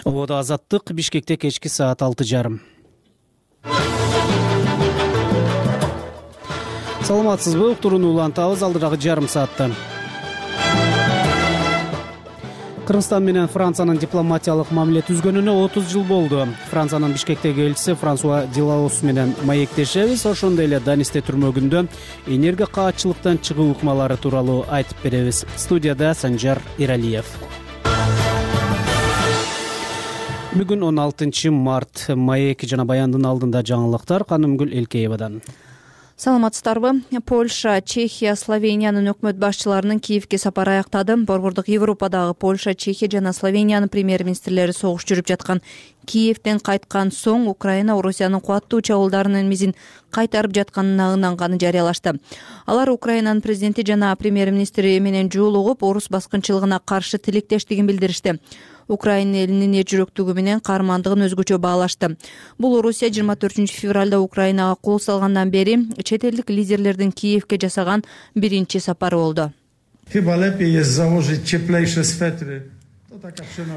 Ободо азаттык, Бишкекте кечки саат 6:30. Саламатсызбы? Уктурууну улантабыз алдырагы жарым саатта. Кыргызстан менен Франциянын дипломатиялык мамиле түзгөнүнө 30 жыл болду. Франциянын Бишкектеги элчиси Франсуа Делаус менен маектешебиз. Ошондой эле Данисте түрмөгүндө энергия каатчылыктан чыгуу ыкмалары тууралуу айтып беребиз. Студияда Санжар Иралиев. Бүгүн 16 март. Маек жана Баяндын алдында жаңылыктар Канымгүл Элкеевадан. Саламатсыздарбы? Польша, Чехия, Словениянын өкмөт башчыларынын Киевге сапары аяктады. Борбордук Европадагы Польша, Чехия жана Словениянын премьер-министрлери согуш жүрүп жаткан Киевден кайткан соң Украина Орусиянын кубаттуу чабуулдарынын мизин кайтарып жатканына ынанганы жарыялашты. Алар Украинанын президенти жана премьер-министри менен жолугуп, орус баскынчылыгына каршы тилектештигин билдиришти. Украина элинин эжүрөктүгү менен каармандыгын өзгөчө баалашты. Бул Орусия 24 февралда Украинага кол салгандан бери чет элдик лидерлердин Киевге жасаган биринчи сапары болду.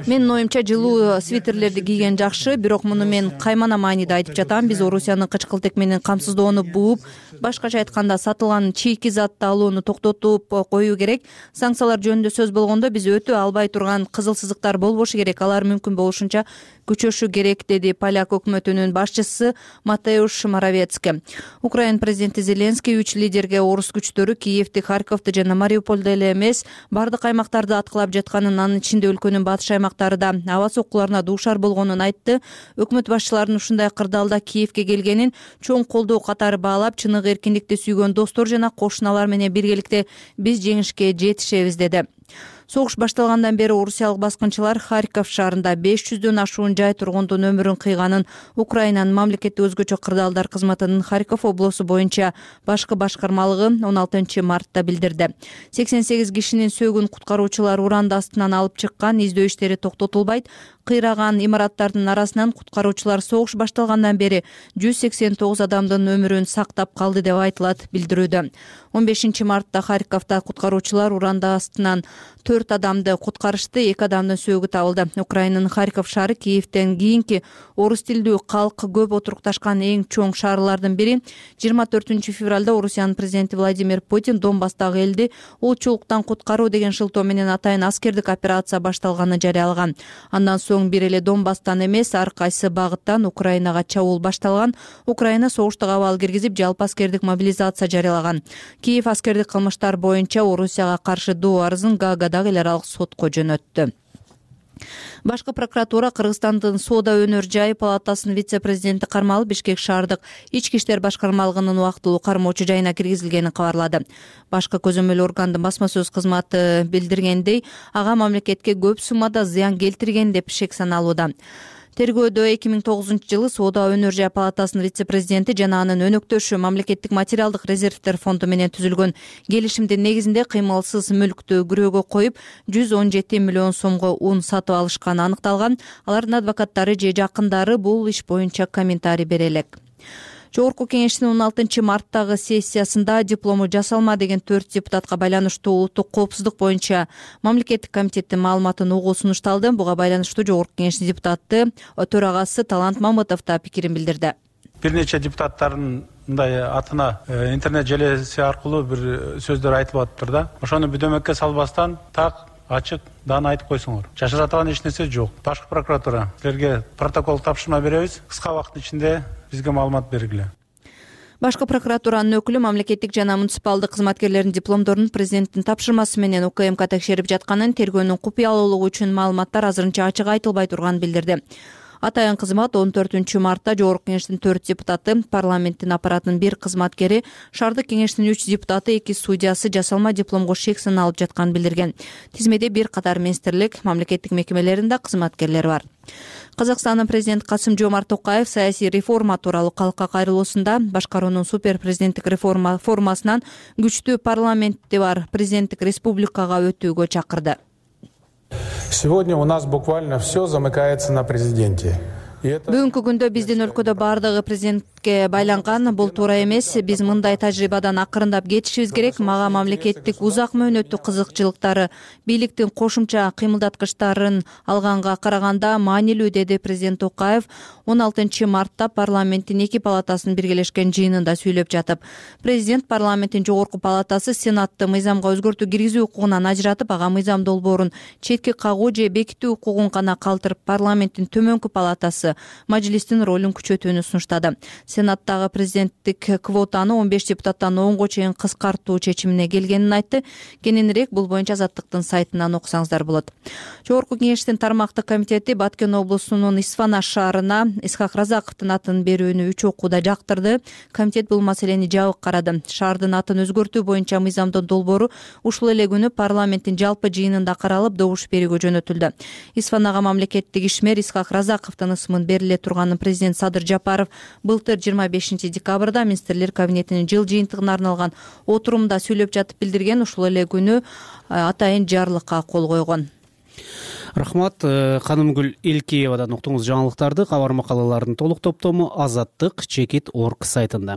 Менин оюмча жылуу свитерлерди кийген жакшы, бирок муну мен каймана мааниде айтып жатам. Биз Орусиянын кычкылтек менен камсыздоону бууп, башкача айтканда сатылган чийки затты алууну токтотуп коюу керек. Санкциялар жөнүндө сөз болгондо биз өтө албай турган кызыл сызыктар болбошу керек. Алар мүмкүн болушунча күчөшү керек, деди поляк өкмөтүнүн башчысы Матеуш Моровецкий. Украина президенти Зеленский 3 лидерге орус күчтөрү Киевди, Харьковду жана Мариупольду эле эмес, бардык аймактарды аткылап жатканын, анын ичинде өлкөнүн батыш аймактары да аба соккуларына дуушар болгонун айтты. Өкмөт башчыларынын ушундай кырдаалда Киевге келгенин чоң колдоо катары баалап, чыныгы эркиндикти сүйгөн достор жана кошуналар менен биргеликте биз жеңишке жетишебиз деди. Согуш башталгандан бери орусиялык баскынчылар Харьков шаарында 500дөн ашуун жай тургундун өмүрүн кыйганын Украинанын мамлекеттик өзгөчө кырдаалдар кызматынын Харьков облусу боюнча башкы башкармалыгы 16 мартта билдирди. 88 кишинин сөөгүн куткаруучулар уранды астынан алып чыккан, издөө иштери токтотулбайт. Кыйраган имараттардын арасынан куткаруучулар согуш башталгандан бери 189 адамдын өмүрүн сактап калды деп айтылат билдирүүдө. 15 мартта Харьковдо куткаруучулар уранды астынан 4 адамды куткарышты, 2 адамдын сөөгү табылды. Украинанын Харьков шаары Киевден кийинки орус тилдүү калк көп отурукташкан эң чоң шаарлардын бири. 24 февралда Орусиянын президенти Владимир Путин Донбасстагы элди улчулуктан куткаруу деген шылтоо менен атайын аскердик операция башталганын жарыялаган. Андан соң бир эле Донбасстан эмес, ар кайсы багыттан Украинага чабуул башталган. Украина согуштук абал киргизип, жалпы аскердик мобилизация жарыялаган. Киев аскердик кылмыштар боюнча Орусияга каршы доо арызын Гаагадагы эл аралык сотко жөнөттү. Башкы прокуратура Кыргызстандын Соода өнөр жайы палатасынын вице-президенти кармалып, Бишкек шаардык ички иштер башкармалыгынын убактылуу кармоочу жайына киргизилгенин кабарлады. Башкы көзөмөл органдын басма сөз кызматы билдиргендей, ага мамлекетке көп суммада зыян келтирген деп шек саналууда. Тергөөдө 2009 жылы Соода өнөр жай палатасынын вице-президенти жана анын өнөктөшү мамлекеттик материалдык резервдер фонду менен түзүлгөн келишимдин негизинде кыймылсыз мүлктү күрөөгө коюп 117 миллион сомго ун сатып алышканы аныкталган. Алардын адвокаттары же жакындары бул иш боюнча комментарий бере элек. Жогорку кеңештин 16 марттагы сессиясында диплому жасалма деген 4 депутатка байланыштуу улуттук коопсуздук боюнча мамлекеттик комитеттин маалыматын угуу сунушталды. Буга байланыштуу Жогорку кеңештин депутаты төрагасы Талант Мамытов да пикирин билдирди. Бир нече депутаттардын мындай атына интернет желеси аркылуу бир сөздөр айтылып атыптыр да. Ошону бүдөмөккө салбастан так ачык даана айтып койсоңор. Жашыратылган эч нерсе жок. Башкы прокуратура силерге протокол тапшырма беребиз. Кыска убакыт ичинде бизге маалымат бергиле. Башкы прокуратуранын өкүлү мамлекеттик жана муниципалдык кызматкерлердин дипломдорун президенттин тапшырмасы менен УКМК текшерип жатканын, тергөөнүн купуялуулугу үчүн маалыматтар азырынча ачык айтылбай турганын билдирди. Атайын кызмат 14 мартта Жогорку кеңештин 4 депутаты, парламенттин аппаратынын 1 кызматкери, шаардык кеңештин 3 депутаты, 2 судьясы жасалма дипломго шек саналып жатканын билдирген. Тизмеде бир катар министрлик, мамлекеттик мекемелеринде кызматкерлер бар. Казакстандын президенти Касым-Жомарт Токаев саясий реформа тууралуу калкка кайрылуусунда башкаруунун супер президенттик реформа формасынан күчтүү парламенти бар президенттик республикага өтүүгө чакырды. Сегодня у нас буквально все замыкается на президенте. Бүгүнкү күндө биздин өлкөдө баардыгы мамлекетке байланган. Бул туура эмес. Биз мындай тажрыйбадан акырындап кетишибиз керек. Мага мамлекеттик узак мөөнөттүү кызыкчылыктары, бийликтин кошумча кыймылдаткычтарын алганга караганда маанилүү, деди президент Токаев 16 мартта парламенттин эки палатасынын биргелешкен жыйынында сүйлөп жатып. Президент парламенттин жогорку палатасы Сенатты мыйзамга өзгөртүү киргизүү укугунан ажыратып, ага мыйзам долбоорун четке кагуу же бекитүү укугун гана калтырып, парламенттин төмөнкү палатасы мажлистин ролун күчөтүүнү сунуштады. Сенаттагы президенттик квотаны 15 депутаттан 10го чейин кыскартуу чечимине келгенин айтты. Кененирээк бул боюнча Азаттыктын сайтынан окусаңыздар болот. Жогорку кеңештин тармактык комитети Баткен облусунун Исфана шаарына Исхак Разаковдун атын берүүнү 3 окууда жактырды. Комитет бул маселени жабык карады. Шаардын атын өзгөртүү боюнча мыйзамдын долбоору ушул эле күнү парламенттин жалпы жыйынында каралып, добуш берүүгө жөнөтүлдү. Исфанага мамлекеттик ишмер Исхак Разаковдун ысымын бериле турганын президент Садыр Жапаров былтыр 25 декабрда министрлер кабинетинин жыл жыйынтыгына арналган отурумда сүйлөп жатып билдирген. Ушул эле күнү атайын жарлыкка кол койгон. Рахмат. Канымгүл Элкеевадан уктуңуз жаңылыктарды. Кабар макалалардын толук топтому Азаттык Чекит.org сайтында.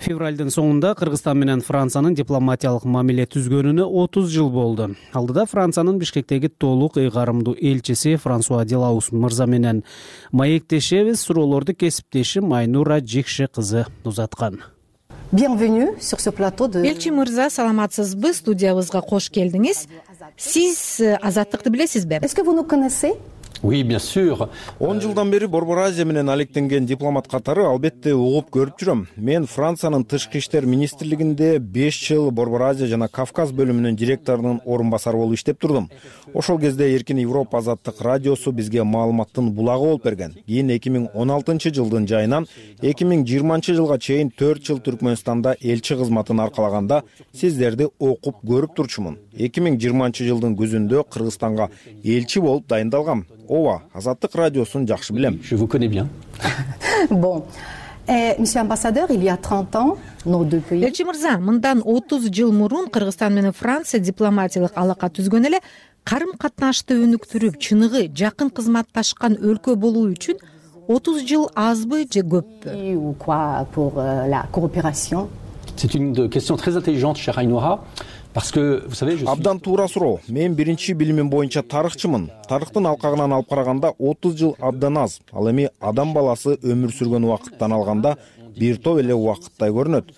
Февралдын соңунда Кыргызстан менен Франциянын дипломатиялык мамиле түзгөнүнө 30 жыл болду. Алдыда Франциянын Бишкектеги толук ыйгарымдуу элчиси Франсуа Делаус мырза менен маектешебиз. Суроолорду кесиптеши Майнура Жекше кызы узаткан. Bienvenue sur ce plateau de... Элчи мырза, саламатсызбы? Студиябызга кош келдиңиз. Сиз Азаттыкты билесизби? Est-ce que vous nous connaissez? Oui, bien sûr. 10 жылдан бери Борбор Азия менен алектенген дипломат катары албетте угуп көрүп жүрөм. Мен Франциянын тышкы иштер министрлигинде 5 жыл Борбор Азия жана Кавказ бөлүмүнүн директорунун орун басары болуп иштеп турдум. Ошол кезде Эркин Европа Азаттык радиосу бизге маалыматтын булагы болуп берген. Кийин 2016 жылдын жайынан 2020 жылга чейин 4 жыл Түркмөнстанда элчи кызматын аркалаганда сиздерди окуп көрүп турчумун. 2020 жылдын күзүндө Кыргызстанга элчи болуп дайындалгам. Ооба, Азаттык радиосун жакшы билем. Je vous connais bien. Bon. Monsieur ambassadeur, il y a 30 ans, nos deux pays... Элчи мырза, мындан 30 жыл мурун Кыргызстан менен Франция дипломатиялык алака түзгөн эле, карым-катнашты өнүктүрүп, чыныгы жакын кызматташкан өлкө болуу үчүн 30 жыл азбы же көппү? Ou quoi pour la coopération? C'est une question très intelligente, chère Ainhoa. Parce que, vous savez, je suis... Абдан туура суроо. Мен биринчи билимим боюнча тарыхчымын. Тарыхтын алкагынан алып караганда 30 жыл абдан аз. Ал эми адам баласы өмүр сүргөн убакыттан алганда бир топ эле убакыттай көрүнөт.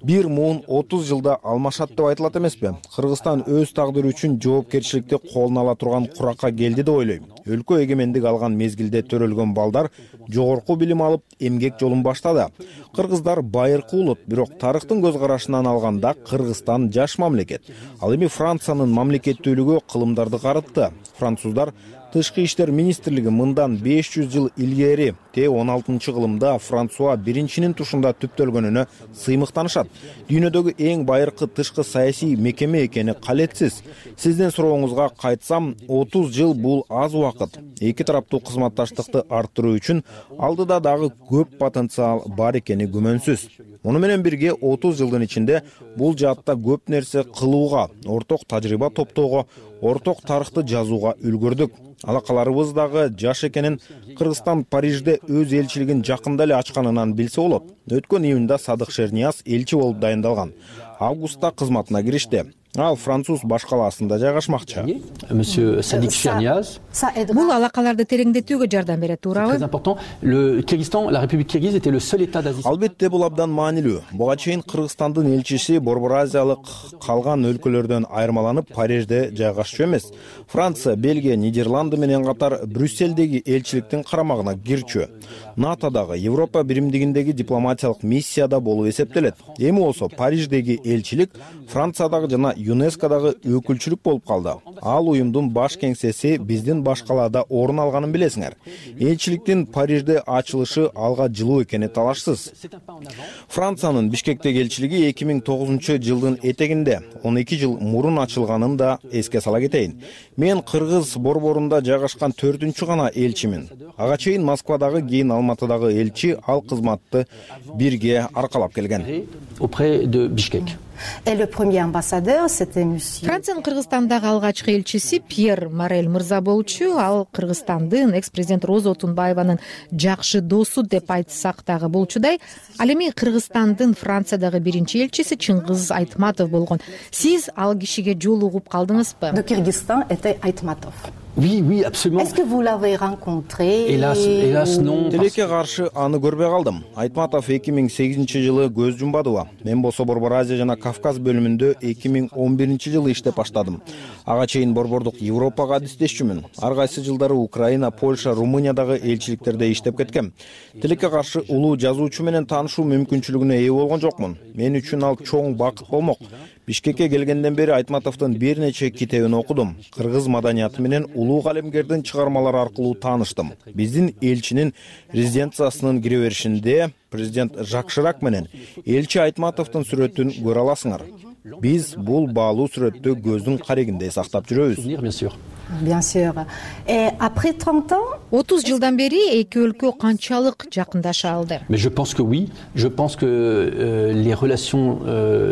Бир муун 30 жылда алмашат деп айтылат эмеспи? Кыргызстан өз тагдыры үчүн жоопкерчиликти колуна ала турган куракка келди деп ойлойм. Өлкө эгемендик алган мезгилде төрөлгөн балдар жогорку билим алып эмгек жолун баштады. Кыргыздар байыркы улут, бирок тарыхтын көз карашынан алганда Кыргызстан жаш мамлекет. Ал эми Франциянын мамлекеттүүлүгү кылымдарды карытты. Француздар Тышкы иштер министрлиги мындан 500 жыл илгери Т-16-кылымда Франсуа биринчинин тушунда түптөлгөнүнө сыймыктанышат. Дүйнөдөгү эң байыркы тышкы саясий мекеме экени калетсиз. Сиздин сурооңузга кайтсам, 30 жыл бул аз убакыт. Эки тараптуу кызматташтыкты арттыруу үчүн алдыда дагы көп потенциал бар экени күмөнсүз. Муну менен бирге 30 жылдын ичинде бул жаатта көп нерсе кылууга, орток тажрыйба топтоого, орток тарыхты жазууга үлгүрдүк. Алакаларыбыз дагы жаш экенин Кыргызстан Парижде өз элчилигин жакында эле ачканынан билсе болот. Өткөн июнда Садык Шернияз элчи болуп дайындалган. Августта кызматына киришти. Ал француз баш калаасында жайгашмакчы. Monsieur Sadik Cherniyaz. Бул алакаларды тереңдетүүгө жардам берет, туурабы? Très important. Le Kyrgyzstan, la République kirghize était le seul état d'Asie. Албетте бул абдан маанилүү. Буга чейин Кыргызстандын элчиси Борбор Азиялык калган өлкөлөрдөн айырмаланып Парижде жайгашчу эмес. Франция, Бельгия, Нидерланды менен катар Брюсселдеги элчиликтин карамагына кирчү. НАТОдагы, Европа биримдигиндеги дипломатиялык миссияда болуп эсептелет. Эми болсо Париждеги элчилик Франциядагы жана ЮНЕСКОдагы өкүлчүлүк болуп калды. Ал уюмдун баш кеңсеси биздин баш калаада орун алганын билесиңер. Элчиликтин Парижде ачылышы алга жылуу экени талашсыз. Франциянын Бишкектеги элчилиги 2009 жылдын этегинде 12 жыл мурун ачылганын да эске сала кетейин. Мен Кыргыз борборунда жайгашкан 4-чү гана элчимин. Ага чейин Москвадагы, кийин Алматыдагы элчи ал кызматты бирге аркалап келген. Auprès de Bishkek. Et le premier ambassadeur, c'était monsieur. Франциянын Кыргызстандагы алгачкы элчиси Пьер Морель мырза болчу. Ал Кыргызстандын экс-президент Роза Отунбаеванын жакшы досу деп айтсак дагы болчудай. Ал эми Кыргызстандын Франциядагы биринчи элчиси Чыңгыз Айтматов болгон. Сиз ал кишиге жолугуп калдыңызбы? De Kyrgyzstan était Айтматов. Oui, absolument. Est-ce que vous l'avez rencontré? Hélas, non. Тилекке каршы аны көрбөй калдым. Айтматов 2008-жылы көз жумбадыбы. Мен болсо Борбор Азия жана Кавказ бөлүмүндө 2011-жылы иштеп баштадым. Ага чейин борбордук Европага адистешчүмүн. Ар кайсы жылдары Украина, Польша, Румыниядагы элчиликтерде иштеп кеткем. Тилекке каршы улуу жазуучу менен таанышуу мүмкүнчүлүгүнө ээ болгон жокмун. Мен үчүн ал чоң бакыт болмок. Бишкекке келгенден бери Айтматовдун бир нече китебин окудум. Кыргыз маданияты менен улуу калемгердин чыгармалары аркылуу тааныштым. Биздин элчинин резиденциясынын кире беришинде президент Жак Ширак менен элчи Айтматовдун сүрөтүн көрө аласыңар. Биз бул баалуу сүрөттү көздүн карегинде сактап жүрөбүз. Bien sûr. Et après 30 ans? 30 жылдан бери эки өлкө канчалык жакындаша алды? Mais je pense que oui. Je pense que les relations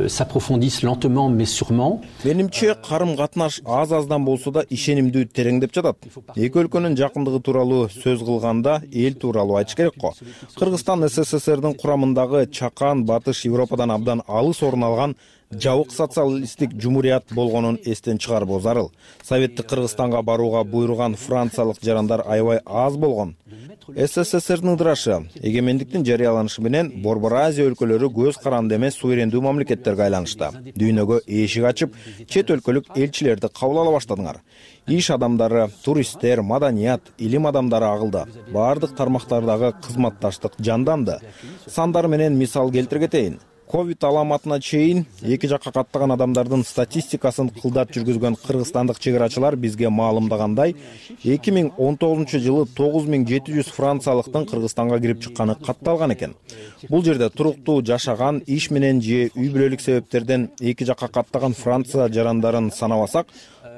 s'approfondissent lentement mais sûrement. Менимче карым-катнаш аз-аздан болсо да ишенимдүү тереңдеп жатат. Эки өлкөнүн жакындыгы тууралуу сөз кылганда эл тууралуу айтыш керек го. Кыргызстан СССРдин курамындагы чакан Батыш Европадан абдан алыс орун алган жабык социалисттик жумурият болгонун эстен чыгарбоо зарыл. Советтик Кыргызстанга барууга буйруган франциялык жарандар аябай аз болгон. СССРдин ыдырашы, эгемендиктин жарыяланышы менен Борбор Азия өлкөлөрү көз каранды эмес суверендүү мамлекеттерге айланышты. Дүйнөгө эшик ачып, чет өлкөлүк элчилерди кабыл ала баштадыңар. Иш адамдары, туристтер, маданият, илим адамдары агылды. Бардык тармактардагы кызматташтык жанданды. Сандар менен мисал келтире кетейин. Ковид аламатына чейин эки жакка каттаган адамдардын статистикасын кылдат жүргүзгөн кыргызстандык чыгарачылар бизге маалымдагандай, 2019-жылы 9700 франциялыктын Кыргызстанга кирип чыкканы катталган экен. Бул жерде туруктуу жашаган, иш менен же үй бүлөлүк себептерден эки жакка каттаган Франция жарандарын санабасак,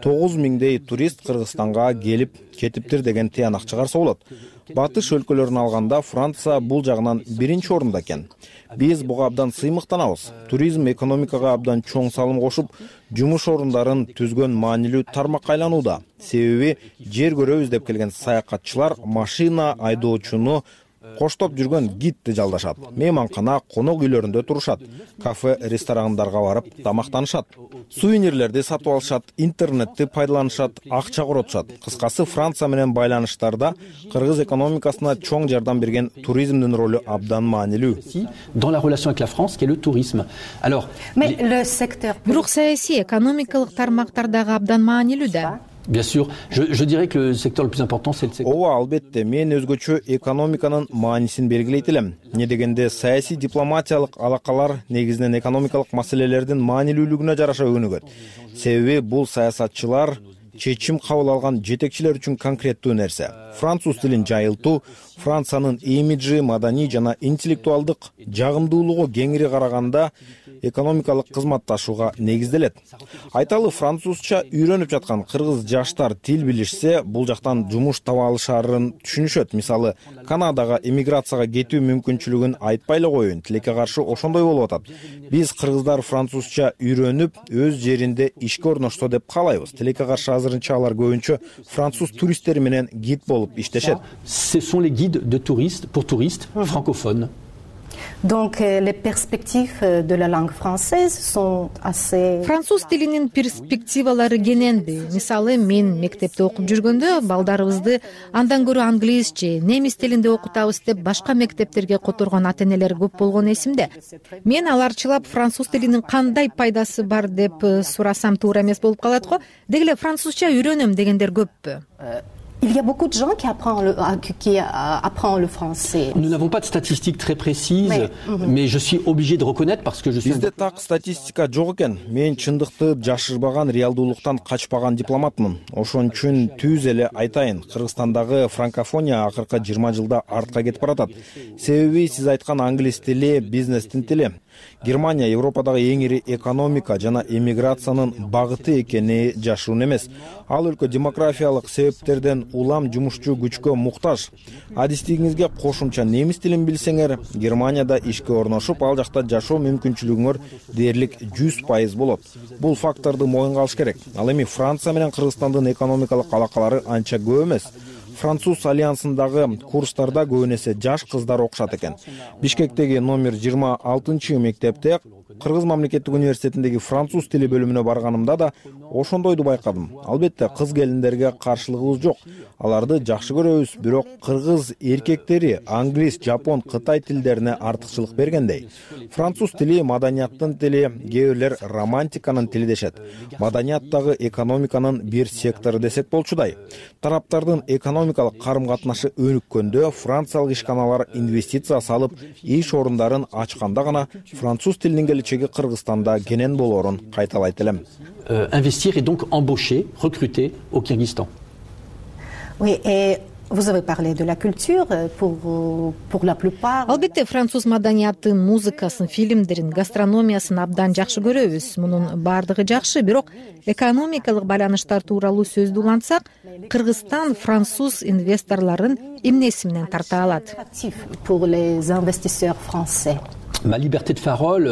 9000дей турист Кыргызстанга келип кетиптир деген тыянак чыгарса болот. Батыш өлкөлөрүн алганда Франция бул жагынан биринчи орунда экен. Биз буга абдан сыймыктанабыз. Туризм экономикага абдан чоң салым кошуп, жумуш орундарын түзгөн маанилүү тармакка айланууда. Себеби жер көрөбүз деп келген саякатчылар машина айдоочуну коштоп жүргөн гидти жалдашат. Мейманкана, конок үйлөрүндө турушат. Кафе, ресторандарга барып тамактанышат. Сувенирлерди сатып алышат, интернетти пайдаланышат, акча коротушат. Кыскасы, Франция менен байланыштарда кыргыз экономикасына чоң жардам берген туризмдин ролу абдан маанилүү. Dans la relation avec la France, qui est le tourisme. Alors, mais le secteur. Бирок саясий, экономикалык тармактардагы абдан маанилүү да. Bien sûr, je dirais que le secteur le plus important c'est le secteur. Ооба, албетте, мен өзгөчө экономиканын маанисин белгилейт элем. Не дегенде саясий дипломатиялык алакалар негизинен экономикалык маселелердин маанилүүлүгүнө жараша өнүгөт. Себеби бул саясатчылар чечим кабыл алган жетекчилер үчүн конкреттүү нерсе. Француз тилин жайылтуу, Франциянын имиджи, маданий жана интеллектуалдык жагымдуулугу кеңири караганда экономикалык кызматташууга негизделет. Айталы, французча үйрөнүп жаткан кыргыз жаштар тил билишсе, бул жактан жумуш таба алышарын түшүнүшөт. Мисалы, Канадага эмиграцияга кетүү мүмкүнчүлүгүн айтпай эле коеюн, тилекке каршы ошондой болуп атат. Биз кыргыздар французча үйрөнүп, өз жеринде ишке орношсо деп каалайбыз. Тилекке каршы азырынча алар көбүнчө француз туристтери менен гид болуп иштешет. Ce sont les guides de touristes pour touristes francophones. Donc les perspectives de la langue française sont assez. Француз тилинин перспективалары кененби. Мисалы, мен мектепте окуп жүргөндө балдарыбызды андан көрө англис же немис тилинде окутабыз деп башка мектептерге которгон ата-энелер көп болгон эсимде. Мен аларчылап француз тилинин кандай пайдасы бар деп сурасам туура эмес болуп калат го. Деги эле французча үйрөнөм дегендер көппү? Il y a beaucoup de gens qui apprennent le français. Nous n'avons pas de statistiques très précises, mais je suis obligé de reconnaître parce que je suis. Бизде так статистика жок экен. Мен чындыкты жашырбаган, реалдуулуктан качпаган дипломатмын. Ошон үчүн түз эле айтайын, Кыргызстандагы франкофония акыркы 20 жылда артка кетип баратат. Себеби сиз айткан англис тили бизнестин тили. Германия Европадагы эң ири экономика жана эмиграциянын багыты экени жашыруун эмес. Ал өлкө демографиялык себептерден улам жумушчу күчкө муктаж. Адистигиңизге кошумча немис тилин билсеңер, Германияда ишке орношуп, ал жакта жашоо мүмкүнчүлүгүңөр дээрлик 100% болот. Бул факторду моюнга алыш керек. Ал эми Франция менен Кыргызстандын экономикалык алакалары анча көп эмес. Француз альянсындагы курстарда көбүнесе жаш кыздар окушат экен. Бишкектеги номер 26 мектепте Кыргыз мамлекеттик университетиндеги француз тили бөлүмүнө барганымда да ошондойду байкадым. Албетте кыз келиндерге каршылыгыбыз жок. Аларды жакшы көрөбүз, бирок кыргыз эркектери англис, жапон, кытай тилдерине артыкчылык бергендей. Француз тили маданияттын тили, кээ бирлер романтиканын тили дешет. Маданият дагы экономиканын бир сектору десек болчудай. Тараптардын экономикалык карым-катнашы өнүккөндө франциялык ишканалар инвестиция салып, иш орундарын ачканда гана француз тилинин келечеги Кыргызстанда кенен болоорун кайталайт элем. Investir et donc embaucher, recruter au Kyrgyzstan. Oui, et vous avez parlé de la culture pour la plupart. Албетте француз маданиятын, музыкасын, фильмдерин, гастрономиясын абдан жакшы көрөбүз. Мунун баардыгы жакшы, бирок экономикалык байланыштар тууралуу сөздү улантсак, Кыргызстан француз инвесторлорун эмнеси менен тарта алат? Pour les investisseurs français. Ma liberté de parole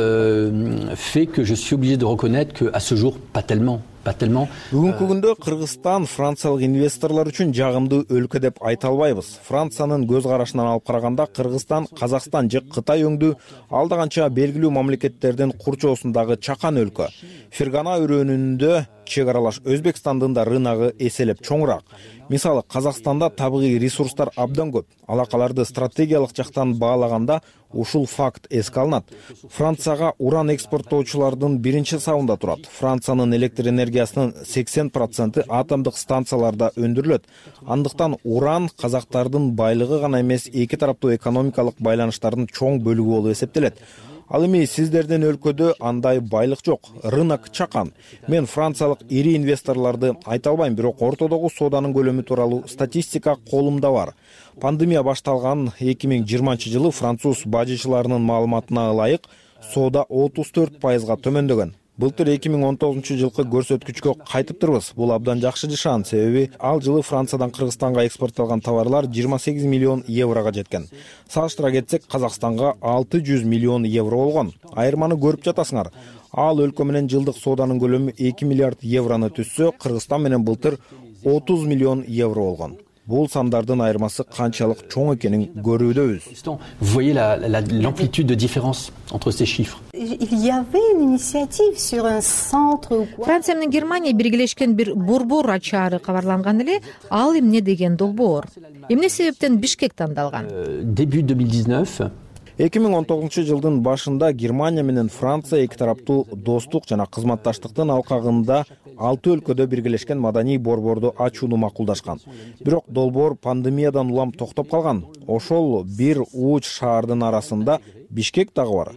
fait que je suis obligé de reconnaître qu'à ce jour, pas tellement. Бүгүнкү күндө Кыргызстан франциялык инвесторлор үчүн жагымдуу өлкө деп айта албайбыз. Франциянын көз карашынан алып караганда Кыргызстан, Казакстан же Кытай өңдүү алда канча белгилүү мамлекеттердин курчоосундагы чакан өлкө. Фергана өрөөнүндө чек аралаш Өзбекстандын да рыногу эселеп чоңураак. Мисалы, Казакстанда табигый ресурстар абдан көп. Алакаларды стратегиялык жактан баалаганда ушул факт эске алынат. Францияга уран экспорттоочулардын биринчи сабында турат. Франциянын электр энергиясынын 80% атомдук станцияларда өндүрүлөт. Андыктан уран казактардын байлыгы гана эмес, эки тараптуу экономикалык байланыштардын чоң бөлүгү болуп эсептелет. Ал эми сиздердин өлкөдө андай байлык жок, рынок чакан. Мен франциялык ири инвесторлорду айта албайм, бирок ортодогу сооданын көлөмү тууралуу статистика колумда бар. Пандемия башталган 2020 жылы француз бажычыларынын маалыматына ылайык соода 34%га төмөндөгөн. Былтыр 2019 жылкы көрсөткүчкө кайтыптырбыз. Бул абдан жакшы нышан, себеби ал жылы Франциядан Кыргызстанга экспортталган товарлар 28 миллион еврого жеткен. Салыштыра кетсек, Казакстанга 600 миллион евро болгон. Айырманы көрүп жатасыңар. Ал өлкө менен жылдык сооданын көлөмү 2 миллиард евроны түзсө, Кыргызстан менен былтыр 30 миллион евро болгон. Бул сандардын айырмасы канчалык чоң экенин көрүүдөбүз. Vous voyez l'amplitude de différence entre ces chiffres. Il y avait une initiative sur un centre ou quoi? Франция менен Германия биргелешкен бир борбор ачаары кабарланган эле. Ал эмне деген долбоор? Эмне себептен Бишкек тандалган? Début 2019. 2019 жылдын башында Германия менен Франция эки тараптуу достук жана кызматташтыктын алкагында 6 өлкөдө биргелешкен маданий борборду ачууну макулдашкан. Бирок долбоор пандемиядан улам токтоп калган. Ошол бир уч шаардын арасында Бишкек дагы бар.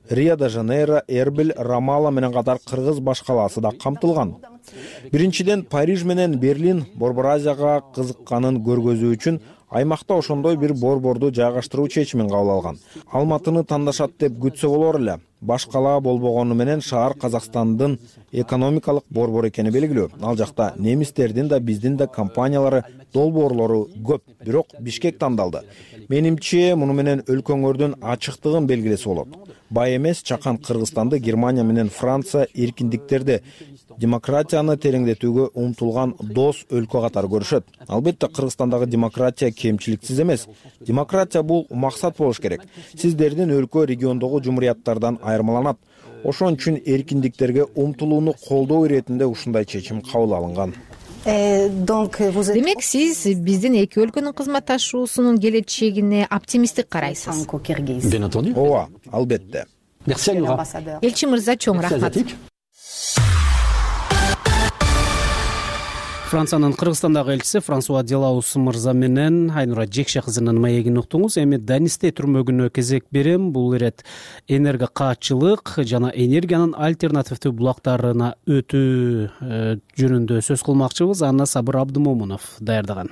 Рио-де-Жанейро, Эрбил, Рамала менен катар кыргыз баш калаасы да камтылган. Биринчиден Париж менен Берлин Борбор Азияга кызыкканын көргөзүү үчүн аймакта ошондой бир борборду жайгаштыруу чечимин кабыл алган. Алматыны тандашат деп күтсө болор эле. Баш калаа болбогону менен шаар Казакстандын экономикалык борбор экени белгилүү. Ал жакта немистердин да биздин да компаниялары, долбоорлору көп, бирок Бишкек тандалды. Менимче, муну менен өлкөңөрдүн ачыктыгын белгилесе болот. Бай эмес чакан Кыргызстанды Германия менен Франция эркиндиктерди, демократияны тереңдетүүгө умтулган дос өлкө катары көрүшөт. Албетте Кыргызстандагы демократия кемчиликсиз эмес. Демократия бул максат болуш керек. Сиздердин өлкө региондогу жумурияттардан айырмаланат. Ошон үчүн эркиндиктерге умтулууну колдоо иретинде ушундай чечим кабыл алынган. Демек, сиз биздин эки өлкөнүн кызматташуусунун келечегине оптимисттик карайсыз. Bien entendu. Ооба, албетте. Merci Айнура. Элчи мырза, чоң рахмат. Франциянын Кыргызстандагы элчиси Франсуа Делаус мырза менен Айнура Жекше кызынын маегин уктуңуз. Эми Данисте түрмөгүнө кезек берем. Бул ирет энерго каатчылык жана энергиянын альтернативдүү булактарына өтүү жөнүндө сөз кылмакчыбыз. Анна Сабыр Абдымомунов даярдаган.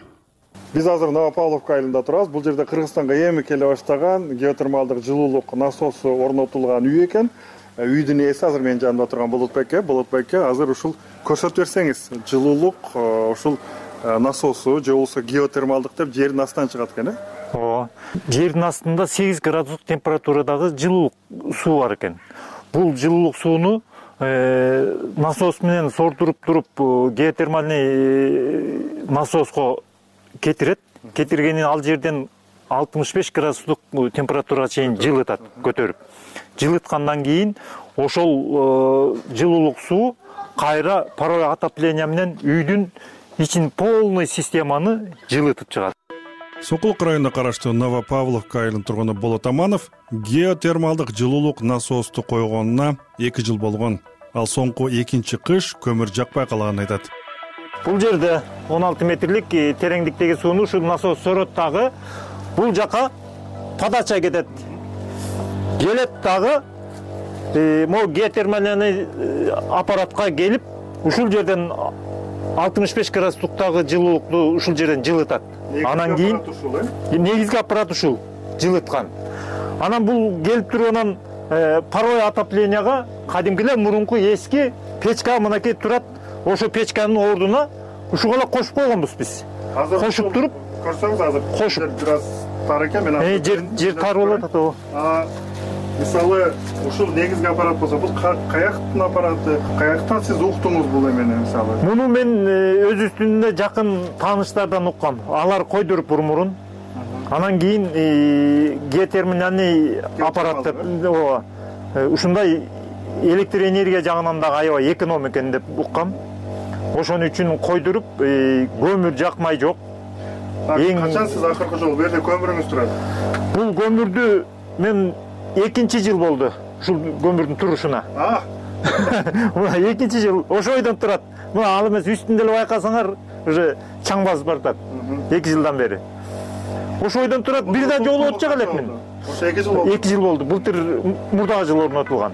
Биз азыр Новопавловка айылында турабыз. Бул жерде Кыргызстанга эми келе баштаган геотермалдык жылуулук насосу орнотулган үй экен. Үйдүн ээси азыр менин жанымда турган Болотбекке азыр ушул көрсөтүп берсеңиз, жылуулук ушул насосу же болбосо геотермалдык деп жердин астынан чыгат экен, Ооба. Жердин астында 8 градустук температурадагы жылуулук суу бар экен. Бул жылуулук сууну насос менен сордуруп туруп геотермальный насоско кетиргенин ал жерден 65 градустук температурага чейин жылытат, көтөрүп. Жылыткандан кийин ошол жылуулук суу кайра паровой отопление менен үйдүн ичин полный системаны жылытып чыгат. Сокулук районуна караштуу Новопавловка айылынын тургуну Болот Аманов геотермалдык жылуулук насосту койгонуна 2 жыл болгон. Ал соңку 2-чи кыш көмүр жакпай калганын айтат. Бул жерде 16 метрлик тереңдиктеги сууну ушул насос сорот дагы бул жака подача кетет. Келет дагы могу геотермальный аппаратка келип, ушул жерден 65 градустуктагы жылуулукту ушул жерден жылытат. Анан кийин негизги аппарат ушул жылыткан. Анан бул келип турганан паровой отопленияга кадимкилер мурунку эски печка мынакей турат. Ошо печканын ордуна ушуга эле кошуп койгонбуз биз. Кошуп туруп, көрсөңүз азыр кошуп бир тар экен, мен жер тар болот ата. Мисалы, ушул негизги аппарат болсо, бул каяктын аппараты, каяктан сиз уктуңуз бул эмени мисалы? Муну мен өз үстүндө жакын тааныштардан уккам. Алар койдуруп мурун. Анан кийин геотермальный аппарат деп, ушундай электр энергия жагынан да аябай эконом экен деп уккам. Ошон үчүн койдуруп, көмүр жакмай жок. Качан сиз акыркы жолу бу жерде көмүрүңүз турат? Бул көмүрдү мен 2-чи жыл болду ушул көмүрдүн турушуна. Мына 2-чи жыл ошойдон турат. Мына ал эмес үстүндө эле байкасаңар, уже чаң басып бартат. 2 жылдан бери. Ошойдон турат, бир да жолу отчак элекмин. Ошо 2 жыл болду. 2 жыл болду. Былтыр мурдагы жыл орнотулган.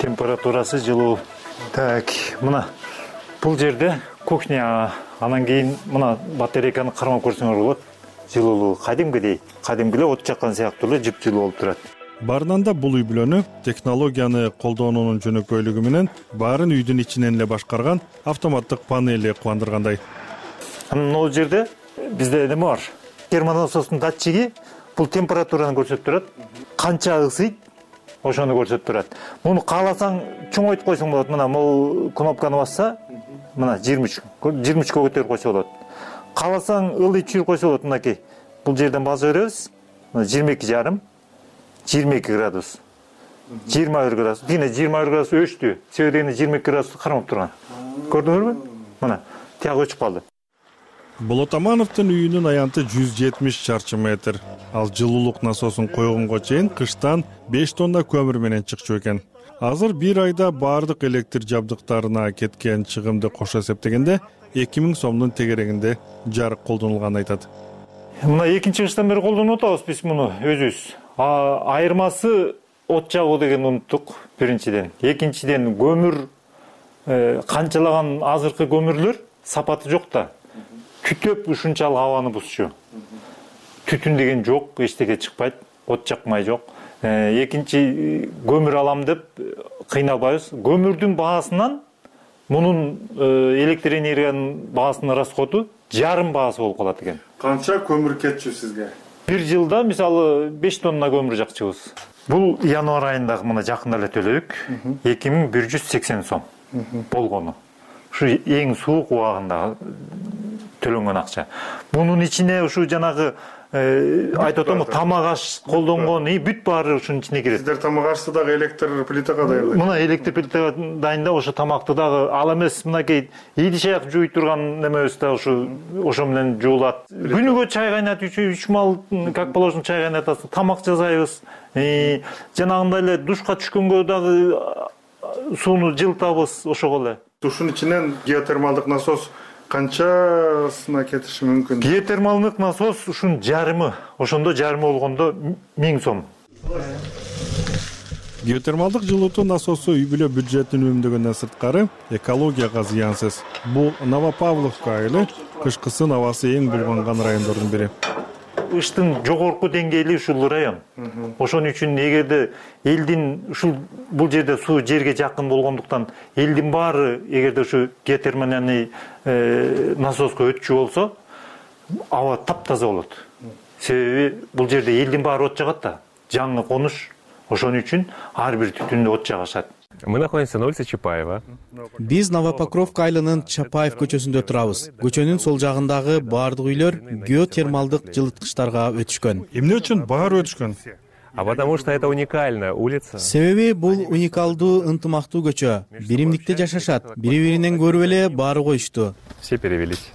Температурасы жылуу. Так, мына бул жерде кухня, анан кийин мына батарейканы кармап көрсөңөр болот. Жылуулугу кадимкидей от жаккан сыяктуу эле жып-жылуу болуп турат. Барынан бул үй бүлөнү технологияны колдоонунун жөнөкөйлүгү менен баарын үйдүн ичинен эле башкарган автоматтык панели кубандыргандай. Могу жерде бизде неме бар? Термонасостун датчиги бул температураны көрсөтүп турат. Канча ысыйт, ошону көрсөтүп турат. Муну кааласаң чоңойтуп койсоң болот. Мына могу кнопканы басса, мына 23 көтөрүп койсо болот. Кааласаң ылдый түшүрүп койсо болот. Мынакей бул жерден баса беребиз. 22,5, 22 градус, 21 градус. Дина 21 градус өчтү. Себебинде 22 градус кармап турган. Көрдүңөрбү? Мына тияк өчүп калды. Болот Амановдун үйүнүн аянты 170 чарчы метр. Ал жылуулук насосун койгонго чейин кыштан 5 тонна көмүр менен чыкчу экен. Азыр бир айда баардык электр жабдыктарына кеткен чыгымды кошо эсептегенде 2000 сомдун тегерегинде жарык колдонулганын айтат. Мына 2-чи кыштан бери колдонуп атабыз биз муну өзүбүз. Айырмасы от жагуу деген унуттук биринчиден. Экинчиден көмүр канчалаган азыркы көмүрлөр сапаты жок да. Түтөп ушунчалык абаны бузчу. Түтүн деген жок, эчтеке чыкпайт, от жакмай жок. Экинчи көмүр алам деп кыйналбайбыз. Көмүрдүн баасынан мунун электр энергиянын баасынын расходу жарым баасы болуп калат экен. Канча көмүр кетчү сизге? Бир жылда мисалы 5 тонна көмүр жакчыбыз. Бул январь айында мына жакында эле төлөдүк. 2180 сом болгону. Ушу эң суук убагында төлөнгөн акча. Мунун ичине ушу жанагы айтып атам, тамак аш колдонгон бүт баары ушунун ичине кирет. Сиздер тамак ашты дагы электр плитага дайындайсызбы? Мына электр плитага дайында ошо тамакты дагы ал эмес мынакей идиш аяк жууй турган немебиз да ошо менен жуулат. Күнүгө чай кайнатып 3 мал как положено чай кайнатасың, тамак жасайбыз. Жанагындай эле душка түшкөнгө дагы сууну жылытабыз ошого эле. Ушунун ичинен геотермалдык насос канчасына кетиши мүмкүн? Геотермалдык насос ушун жарымы, ошондо жарымы болгондо 1000 сом. Геотермалдык жылытуу насосу үй бүлө бюджетин үнөмдөгөндөн сырткары экологияга зыянсыз. Бул Новопавловка айылы кышкысын абасы эң булганган райондордун бири. Ыштын жогорку деңгээли ушул район. Ошон үчүн эгерде элдин бул жерде суу жерге жакын болгондуктан элдин баары эгерде ушу геотермальный насоска өтчү болсо, аба таптаза болот. Себеби бул жерде элдин баары от жагат да, жаңы конуш. Ошон үчүн ар бир түтүндө от жагышат. Мы находимся на улице Чапаева. Биз Новопокровка айылынын Чапаев көчөсүндө турабыз. Көчөнүн сол жагындагы баардык үйлөр геотермалдык жылыткычтарга өтүшкөн. Эмне үчүн баары өтүшкөн? А потому что это уникальная улица. Себеби бул уникалдуу, ынтымактуу көчө. Биримдикте жашашат. Бири-биринен көрүп эле баары коюшту. Все перевелись.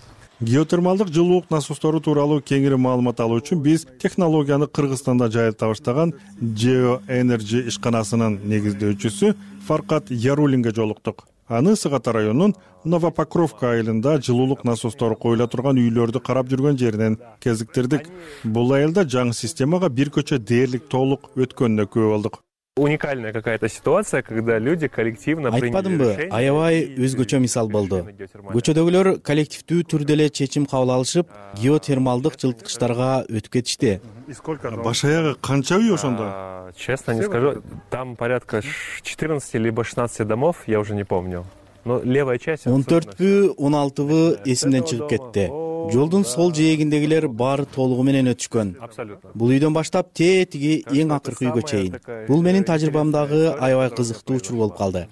Геотермалдык жылуулук насостору тууралуу кеңири маалымат алуу үчүн биз технологияны Кыргызстанда жайылта баштаган Geo Energy ишканасынын негиздөөчүсү Фаркат Ярулинге жолуктук. Аны Сыгата районунун Новопокровка айылында жылуулук насостору коюла турган үйлөрдү карап жүргөн жеринен кезиктирдик. Бул айылда жаңы системага бир көчө дээрлик толук өткөнүнө күбө болдук. Уникальная какая-то ситуация, когда люди коллективно приняли решение. Айтпадымбы, аябай өзгөчө мисал болду. Көчөдөгүлөр коллективдүү түрдө эле чечим кабыл алышып, геотермалдык жылыткычтарга өтүп кетишти. Баш аягы канча үй ошондо? Честно не скажу, там порядка 14 либо 16 домов, я уже не помню. Но левая часть 14бү, 16бы эсимден чыгып кетти. Жолдун сол жээгиндегилер баары толугу менен өтүшкөн. Бул үйдөн баштап тетиги эң акыркы үйгө чейин. Бул менин тажрыйбамдагы аябай кызыктуу учур болуп калды.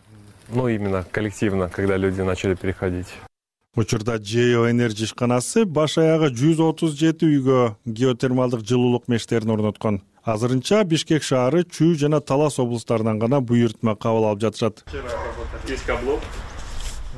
Ну именно коллективно, когда люди начали переходить. Учурда Geo Energy ишканасы баш аягы 137 үйгө геотермалдык жылуулук мештерин орноткон. Азырынча Бишкек шаары, Чүй жана Талас облустарынан гана буйртма кабыл алып жатышат.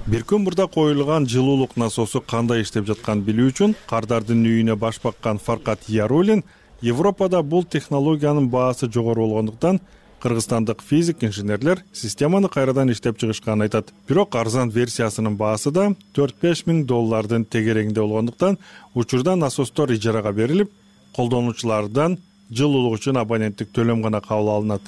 Бир күн мурда коюлган жылуулук насосу кандай иштеп жатканын билүү үчүн Кардардын үйүнө баш баккан Фаркат Ярулин Европада бул технологиянын баасы жогору болгондуктан кыргызстандык физик инженерлер системаны кайрадан иштеп чыгышканын айтат. Бирок арзан версиясынын баасы да $4-5 миң тегерегинде болгондуктан учурда насостор ижарага берилип, колдонуучулардан жылуулук үчүн абоненттик төлөм гана кабыл алынат.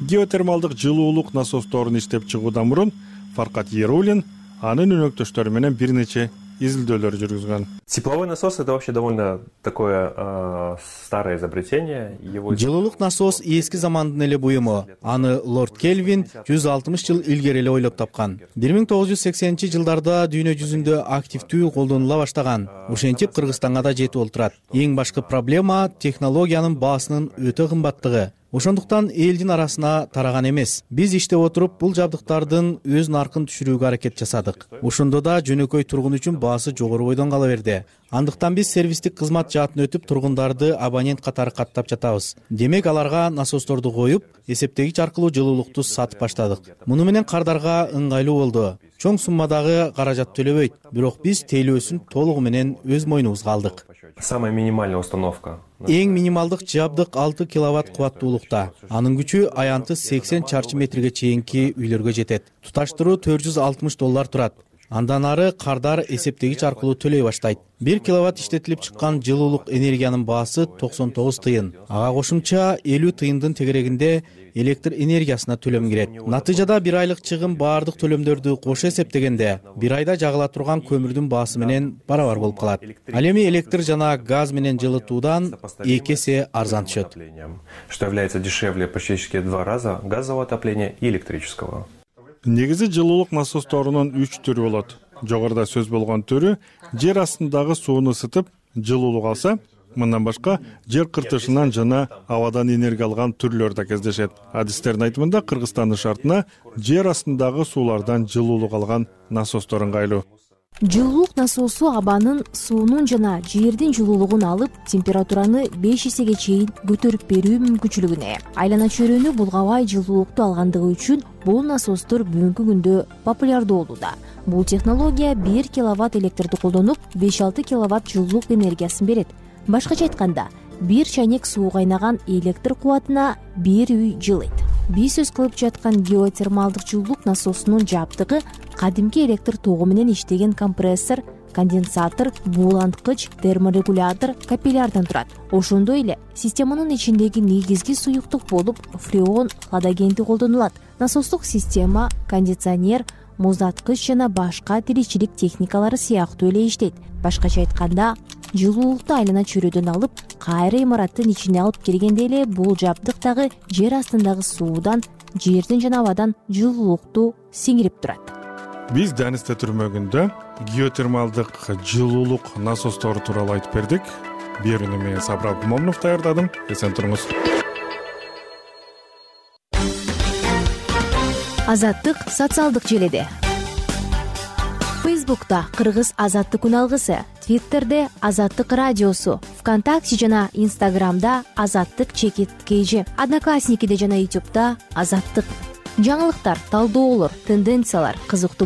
Геотермалдык жылуулук насосторун иштеп чыгуудан мурун Фаркат Ярулин анын өнөктөштөрү менен бир нече изилдөөлөр жүргүзгөн. Тепловой насос это вообще довольно такое старое изобретение. Жылуулук насос эски замандын эле буюму. Аны Лорд Кельвин 160 жыл илгери эле ойлоп тапкан. 1980-жылдарда дүйнө жүзүндө активдүү колдонула баштаган. Ошентип Кыргызстанга да жетип олтурат. Эң башкы проблема технологиянын баасынын өтө кымбаттыгы. Ошондуктан элдин арасына тараган эмес. Биз иштеп отуруп бул жабдыктардын өз наркын түшүрүүгө аракет жасадык. Ошондо да жөнөкөй тургун үчүн баасы жогору бойдон кала берди. Андыктан биз сервистик кызмат жаатын өтүп тургундарды абонент катары каттап жатабыз. Демек аларга насосторду коюп, эсептегич аркылуу жылуулукту сатып баштадык. Муну менен кардарга ыңгайлуу болду. Чоң суммадагы каражат төлөбөйт, бирок биз тейлөөсүн толугу менен өз мойнубузга алдык. Самая минимальная установка. Эң минималдык жабдык 6 киловатт кубаттуулукта. Анын күчү аянты 80 чарчы метрге чейинки үйлөргө жетет. Туташтыруу $460 турат. Андан ары кардар эсептегич аркылуу төлөй баштайт. 1 киловатт иштетилип чыккан жылуулук энергиянын баасы 99 тыйын. Ага кошумча 50 тыйындын тегерегинде электр энергиясына төлөм кирет. Натыйжада бир айлык чыгым баардык төлөмдөрдү кошо эсептегенде бир айда жагыла турган көмүрдүн баасы менен барабар болуп калат. Ал эми электр жана газ менен жылытуудан 2 эсе арзан түшөт. Что является дешевле практически 2 раза газового отопления и электрического. Негизи жылуулук насосторунун 3 түрү болот. Жогоруда сөз болгон түрү жер астындагы сууну ысытып жылуулук алса, мындан башка жер кыртышынан жана абадан энергия алган түрлөр да кездешет. Адистердин айтымында Кыргызстандын шартына жер астындагы суулардан жылуулук алган насостор ыңгайлуу. Жылуулук насосу абанын, суунун жана жердин жылуулугун алып, температураны 5 эсеге чейин көтөрүп берүү мүмкүнчүлүгүнө ээ. Айлана чөйрөнү булгабай жылуулукту алгандыгы үчүн бул насостор бүгүнкү күндө популярдуу болууда. Бул технология 1 киловатт электрди колдонуп, 5-6 киловатт жылуулук энергиясын берет. Башкача айтканда, 1 чайнек суу кайнаган электр кубатына 1 үй жылыйт. Биз сөз кылып жаткан геотермалдык жылуулук насосунун жабдыгы кадимки электр тогу менен иштеген компрессор конденсатор, бууланткыч, терморегулятор, капиллярдан турат. Ошондой эле системанын ичиндеги негизги суюктук болуп фреон хладагенти колдонулат. Насостук система, кондиционер, муздаткыч жана башка тиричилик техникалары сыяктуу эле иштейт. Башкача айтканда, жылуулукту айлана чөйрөдөн алып, кайра имараттын ичине алып киргенде эле бул жабдык дагы жер астындагы суудан, жерден жана абадан жылуулукту сиңирип турат. Биз Данисте түрмөгүндө геотермалдык жылуулук насостору тууралуу айтып бердик. Берүүнү мен Сабыр Абдымомунов даярдадым. Эсен туруңуз. Азаттык социалдык желеде. Фейсбукта Кыргыз Азаттык күн алгысы, Твиттерде Азаттык радиосу, ВКонтакте жана Инстаграмда Азаттык_KG, Одноклассникиде жана Ютубта Азаттык. Жаңылыктар, талдоолор, тенденциялар, кызыктуу